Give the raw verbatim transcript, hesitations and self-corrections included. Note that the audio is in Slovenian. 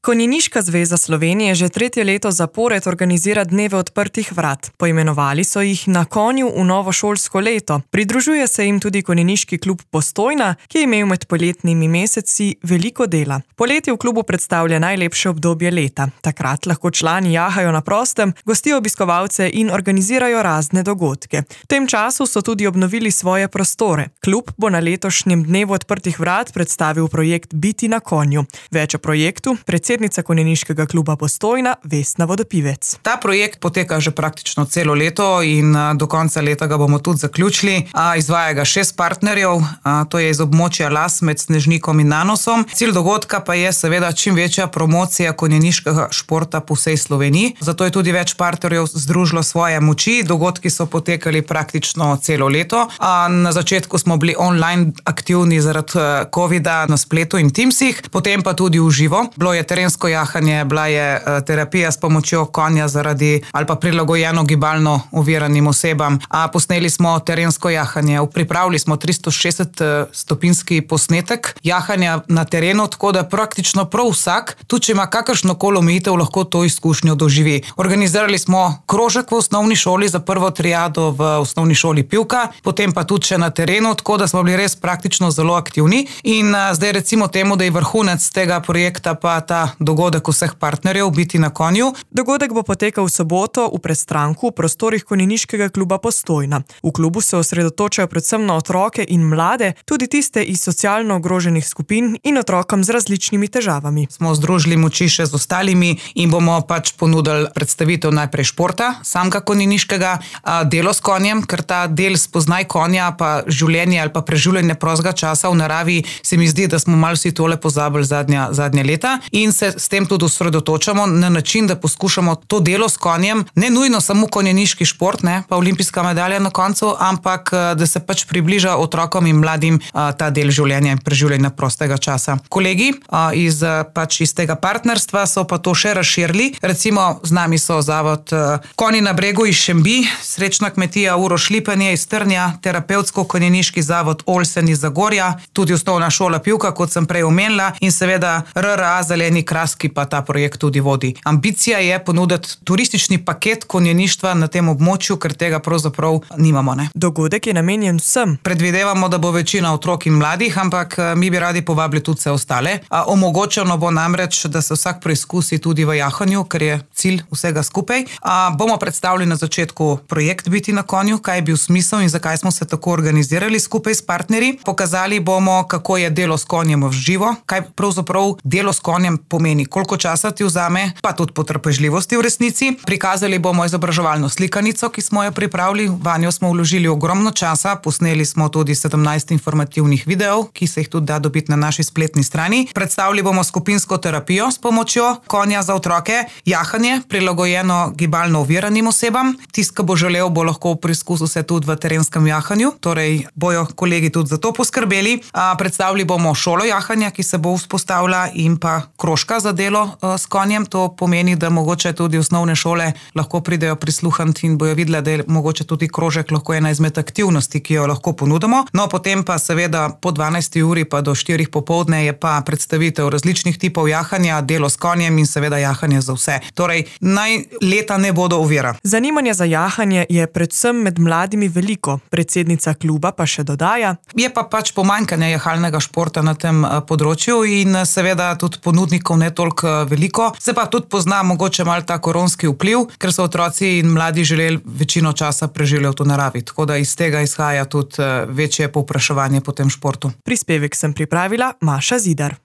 Konjeniška zveza Slovenije že tretje leto zapored organizira dneve odprtih vrat. Poimenovali so jih Na konju v novo šolsko leto. Pridružuje se jim tudi Konjeniški klub Postojna, ki je imel med poletnimi meseci veliko dela. Poletje v klubu predstavlja najlepše obdobje leta. Takrat lahko člani jahajo na prostem, gostijo obiskovalce in organizirajo razne dogodke. V tem času so tudi obnovili svoje prostore. Klub bo na letošnjem dnevu odprtih vrat predstavil projekt Biti na konju. Več o projektu predsednica Konjeniškega kluba Postojna Vesna Vodopivec. Ta projekt poteka že praktično celo leto in do konca leta ga bomo tudi zaključili. Izvaja ga šest partnerjev, to je iz območja Las med Snežnikom in Nanosom. Cilj dogodka pa je seveda čim večja promocija konjeniškega športa po vsej Sloveniji. Zato je tudi več partnerjev združilo svoje moči. Dogodki so potekali praktično celo leto. Na začetku smo bili online aktivni zaradi covida na spletu in Teamsih, potem pa tudi v živo. Bilo je terensko jahanje, bila je terapija s pomočjo konja zaradi ali pa prilagojeno gibalno oviranim osebam. A posneli smo terensko jahanje, pripravili smo tristo šestdeset stopinjski posnetek jahanja na terenu, tako da praktično prav vsak, tudi če ima kakršnokoli omejitev, lahko to izkušnjo doživi. Organizirali smo krožek v osnovni šoli za prvo triado v osnovni šoli Pivka, potem pa tudi še na terenu, tako da smo bili res praktično zelo aktivni. In zdaj recimo temu, da je vrhunec tega projekta pa ta dogodek vseh partnerjev Biti na konju. Dogodek bo potekal v soboto v Prestranku v prostorih Konjeniškega kluba Postojna. V klubu se osredotočajo predvsem na otroke in mlade, tudi tiste iz socialno ogroženih skupin in otrokom z različnimi težavami. Smo združili moči še z ostalimi in bomo pač ponudili predstavitev najprej športa, samega konjeniškega, delo s konjem, ker ta del spoznaj konja pa življenje ali pa preživljanje prostega časa v naravi se mi zdi, da smo malo vsi tole pozabili zadnja, zadnja leta in se s tem tudi osredotočamo na način, da poskušamo to delo s konjem, ne nujno samo konjeniški šport, ne, pa olimpijska medalja na koncu, ampak da se pač približa otrokom in mladim a, ta del življenja in preživljanja prostega časa. Kolegi a, iz, pač iz tega partnerstva so pa to še razširili. Recimo z nami so zavod a, Konji na bregu iz Šembi, Srečna kmetija Uroš Lipenje iz Trnja, terapevtsko-konjeniški zavod Olsen iz Zagorja, tudi osnovna šola Pivka, kot sem prej omenila, in seveda R R A Zeleni kraski pa ta projekt tudi vodi. Ambicija je ponuditi turistični paket konjeništva na tem območju, ker tega pravzaprav nimamo. Ne? Dogodek je namenjen vsem. Predvidevamo, da bo večina otrok in mladih, ampak mi bi radi povabili tudi vse ostale. Omogočeno bo namreč, da se vsak preizkusi tudi v jahanju, ker je cilj vsega skupaj. A, bomo predstavili na začetku projekt Biti na konju, kaj je bil smisel in zakaj smo se tako organizirali skupaj s partnerji. Pokazali bomo, kako je delo s konjem v živo, kaj pravzaprav delo s konjem pomeni, koliko časa ti vzame, pa tudi potrpežljivosti v resnici. Prikazali bomo izobraževalno slikanico, ki smo jo pripravili, vanjo smo vložili ogromno časa, posneli smo tudi sedemnajst informativnih videov, ki se jih tudi da dobiti na naši spletni strani. Predstavili bomo skupinsko terapijo s pomočjo konja za otroke, jahanje, prilagojeno gibalno oviranim osebam. Tisti, ki bo želel, bo lahko preizkusil se tudi v terenskem jahanju, torej bojo kolegi tudi za to poskrbeli. A, predstavili bomo šolo jahanja, ki se bo vzpostavila, in pa krožka za delo a, s konjem. To pomeni, da mogoče tudi osnovne šole lahko pridejo prisluhniti in bojo videli, da je mogoče tudi krožek lahko ena izmed aktivnosti, ki jo lahko ponudimo. No, potem pa seveda po dvanajsti uri pa do štirih popoldne je pa predstavitev različnih tipov jahanja, delo s konjem in seveda jahanje za vse. Torej, naj leta ne bodo ovira. Zanimanje za jahanje je predvsem med mladimi veliko. Predsednica kluba pa še dodaja: Je pa pač pomanjkanje jahalnega športa na tem področju in seveda tudi ponudnikov ne toliko veliko. Se pa tudi pozna mogoče malo ta koronski vpliv, ker so otroci in mladi želeli večino časa preživljati v naravi. Tako da iz tega izhaja tudi večje povpraševanje po tem športu. Prispevek sem pripravila Maša Zidar.